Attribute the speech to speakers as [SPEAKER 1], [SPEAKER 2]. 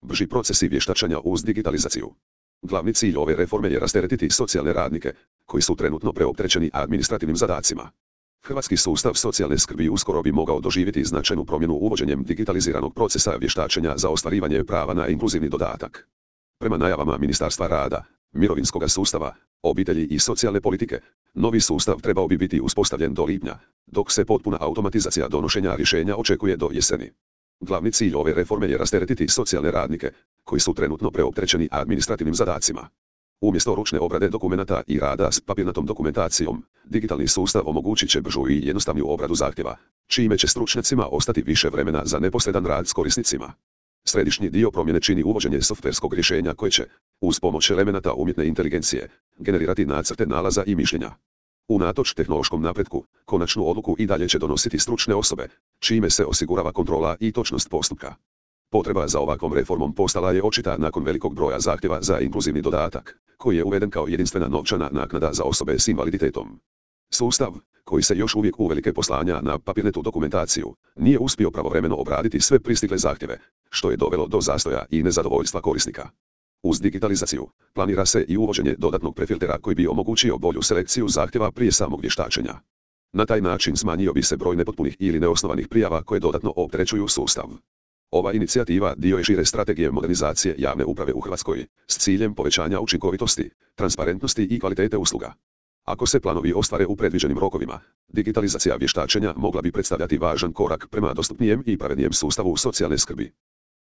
[SPEAKER 1] brži procesi vještačenja uz digitalizaciju. Glavni cilj ove reforme je rasteretiti socijalne radnike, koji su trenutno preopterećeni administrativnim zadacima. Hrvatski sustav socijalne skrbi uskoro bi mogao doživjeti značajnu promjenu uvođenjem digitaliziranog procesa vještačenja za ostvarivanje prava na inkluzivni dodatak. Prema najavama Ministarstva rada, mirovinskog sustava, obitelji i socijalne politike, novi sustav trebao bi biti uspostavljen do lipnja, dok se potpuna automatizacija donošenja rješenja očekuje do jeseni. Glavni cilj ove reforme je rasteretiti socijalne radnike, koji su trenutno preopterećeni administrativnim zadacima. Umjesto ručne obrade dokumenata i rada s papirnatom dokumentacijom, digitalni sustav omogućit će bržu i jednostavniju obradu zahtjeva, čime će stručnjacima ostati više vremena za neposredan rad s korisnicima. Središnji dio promjene čini uvođenje softverskog rješenja koje će, uz pomoć elemenata umjetne inteligencije, generirati nacrte nalaza i mišljenja. Unatoč tehnološkom napretku, konačnu odluku i dalje će donositi stručne osobe, čime se osigurava kontrola i točnost postupka. Potreba za ovakvom reformom postala je očita nakon velikog broja zahtjeva za inkluzivni dodatak, koji je uveden kao jedinstvena novčana naknada za osobe s invaliditetom. Sustav, koji se još uvijek uvelike poslanja na papirnatu dokumentaciju, nije uspio pravovremeno obraditi sve pristigle zahtjeve, što je dovelo do zastoja i nezadovoljstva korisnika. Uz digitalizaciju, planira se i uvođenje dodatnog prefiltera koji bi omogućio bolju selekciju zahtjeva prije samog vještačenja. Na taj način smanjio bi se broj nepotpunih ili neosnovanih prijava koje dodatno opterećuju sustav. Ova inicijativa dio je šire strategije modernizacije javne uprave u Hrvatskoj, s ciljem povećanja učinkovitosti, transparentnosti i kvalitete usluga. Ako se planovi ostvare u predviđenim rokovima, digitalizacija vještačenja mogla bi predstavljati važan korak prema dostupnijem i pravednijem sustavu socijalne skrbi.